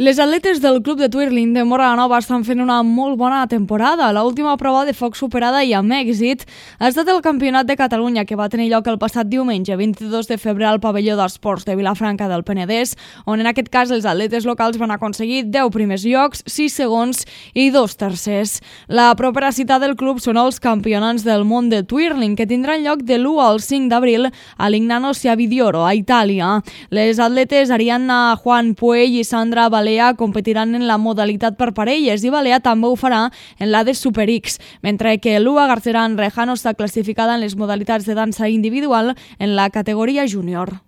Les atletes del club de twirling de Móra la Nova estan fent una molt bona temporada. L'última prova de foc superada i amb èxit ha estat el Campionat de Catalunya, que va tenir lloc el passat diumenge 22 de febrer al pavelló d'esports de Vilafranca del Penedès, on en aquest cas els atletes locals van aconseguir 10 primers llocs, 6 segons i 2 tercers. La propera cita del club són els campionats del món de twirling, que tindran lloc de l'1 al 5 d'abril a Lignano Siavidioro, a Itàlia. Les atletes Arianna Juan Puell i Sandra Balea competiran en la modalitat per parelles i Balea també ho farà en la de Super X, mentre que Lua Garceran Rejano està classificada en les modalitats de dansa individual en la categoria júnior.